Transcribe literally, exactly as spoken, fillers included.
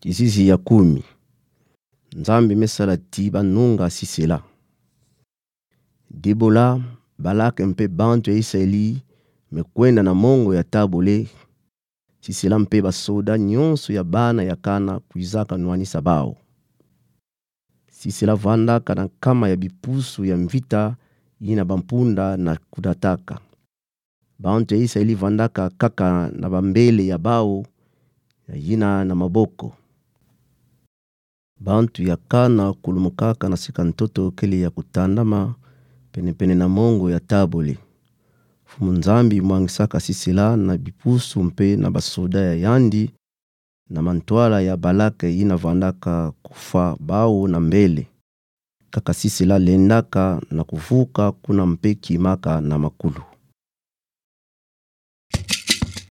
Kisisi ya kumi. Nzambi mesala ti banunga Sisela. Debora, Balake mpe bantu ya Isaeli mekwenda na mongo ya tabole. Sisela mpe basoda nyonso ya bana ya Kana kwizaka nwanisa bawu. Sisela vandaka na nkama ya bipusu ya mvita yina bampunda na kudataka. Bantu ya Isaeli vandaka kaka na bambele ya bawu, yina na maboko. Bantu ya Kana kulumukaka na sika ntoto kele ya kutandama penepene na mongo ya tabole. Mfumu Nzambi mwangisaka Sisela na bipusu mpe na basoda ya yandi, na mantwala ya Balake yina vandaka kufa bawu na mbele. Kaka Sisela lendaka na kuvuka kuna mpe kimaka na makulu.